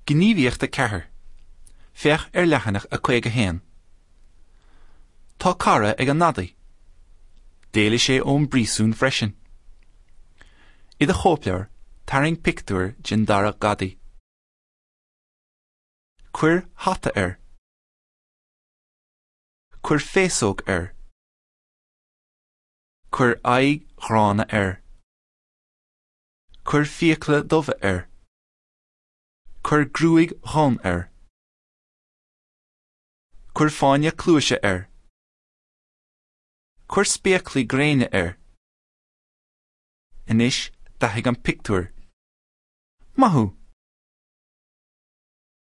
Gníomhaíocht 4. Féach ar leathanach 51. Tá cara ag an ngadaí. D'éalaigh sé ón bpríosún freisin. I do chóipleabhar, tarraing pictiúr den dara gadaí. Cuir hata air. Cuir féasóg air. Cuir aghaidh ghránna air. Cuir fiacla dubha air. Cuir gruaig dhonn air. Cuir fáinne cluaise air. Cuir spéaclaí gréine air. Anois, dathaigh an pictiúr. Maith thú!